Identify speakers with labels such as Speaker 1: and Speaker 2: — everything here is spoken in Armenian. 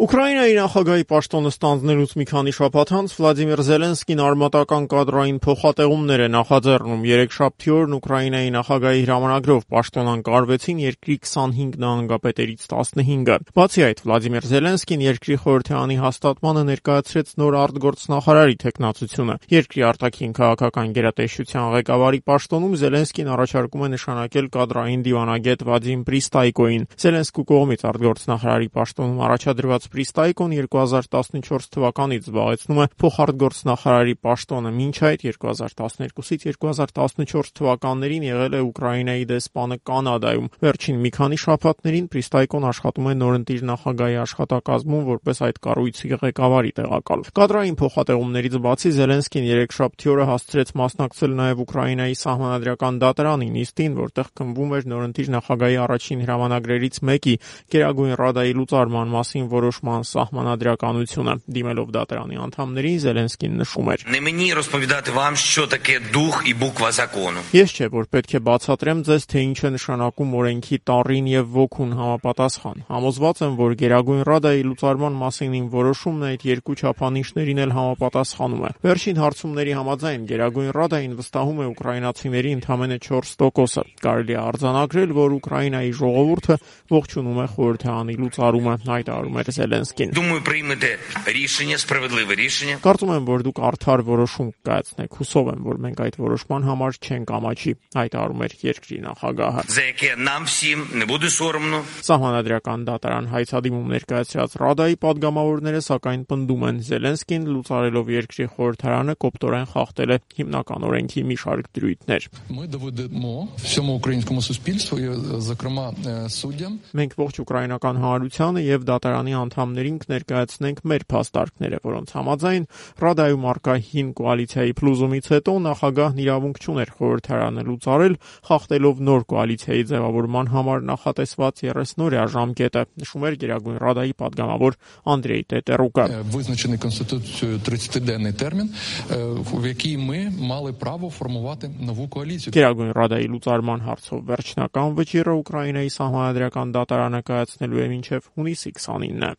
Speaker 1: Ուկրաինայի նախագահի պաշտոնը ստանձնելուց մի քանի շաբաթ անց Վլադիմիր Զելենսկին արմատական կադրային փոխատեղումներ է նախաձեռնում։ Երեքշաբթի օրն Ուկրաինայի նախագահի հրամանագրով պաշտոնանկարվեցին երկրի 25 նահանգապետերից 15-ը։ Բացի այդ, Վլադիմիր Զելենսկին երկրի խորհրդարանի հաստատմանը ներկայացրեց նոր արտգործնախարարի թեկնածությունը։ Երկրի արտաքին քաղաքական գերատեսչության ղեկավարի պաշտոնում Զելենսկին առաջարկում է նշանակել կադրային դիվանագետ Վադիմ Պրիստայկոին։ Զելենսկու կողմից արտգործնախարարի պաշտոնում առաջադրված Պրիստայկոն 2014 թվականից զբաղեցնում է փոխարտգործնախարարի պաշտոնը, մինչ այդ 2012-ից 2014 թվականներին եղել է Ուկրաինայի դեսպանը Կանադայում։ Վերջին մի քանի շաբաթներին Պրիստայկոն աշխատում է նորընտիր նախագահի աշխատակազմում որպես այդ կառույցի ղեկավարի տեղակալ։ Կադրային փոխատեղումներից բացի Զելենսկին երեքշաբթի օրը հասցրեց մասնակցել նաև Ուկրաինայի սահմանադրական դատարանի նիստին, որտեղ քննվում էր նորընտիր նախագահի առաջին հրամանագրերից մեկի՝ Գերագույն Ռադայի լուծարման մասին որոշման սահմանադրականությունը։ Դիմելով դատարանի անդամներին Զելենսկին նշում էր. Ես չէ, որ պետք է բացատրեմ ձեզ, թե ինչ է նշանակում օրենքի տառին եւ ոգուն համապատասխան։ Համոզված եմ, որ Գերագույն Ռադայի լուծարման մասին իմ որոշումն այդ երկու չափանիշներին էլ համապատասխանում է։ Վերջին հարցումների համաձայն Գերագույն Ռադային վստահում է ուկրաինացիների ընդամենը 4%-ը։ Կարելի է արձանագրել, որ Ուկրաինայի ժողովուրդը ողջունում է խորհրդարանի լուծարումը, հայտարարում էր Զելենսկին։ Կարծում եմ, որ դուք արդար որոշում կայացնեք։ Հուսով եմ, որ մենք այդ որոշման համար չենք ամաչի, հայտարարում էր երկրի նախագահը։ Սահմանադրական դատարան հայցադիմում ներկայացրած Ռադայի падգամավորները սակայն պնդում են, Զելենսկին լուծարելով երկրի խորհրդարանը կոպտորեն խախտել է հիմնական օրենքի մի շարք դրույթներ։ Մենք ողջ ուկրաինական հանրությանը եւ դատարանի անդամներին կներկայացնենք մեր փաստարկները, որոնց համաձայն Ռադայում առկա հին կոալիցիայի փլուզումից հետո նախագահն իրավունք չուներ խորհրդարանը լուծարել, խախտելով նոր կոալիցիայի ձևավորման համար նախատեսված 30-օրյա ժամկետը, նշում էր Գերագույն Ռադայի падգամավոր Անդրեյ Տետերուկը։ Գերագույն Ռադայի լուծարման հարցով վերջնական վճիռը Ուկրաինայի սահմանադրական դատարանը կայացնելու է մինչև հունիսի 29-ը։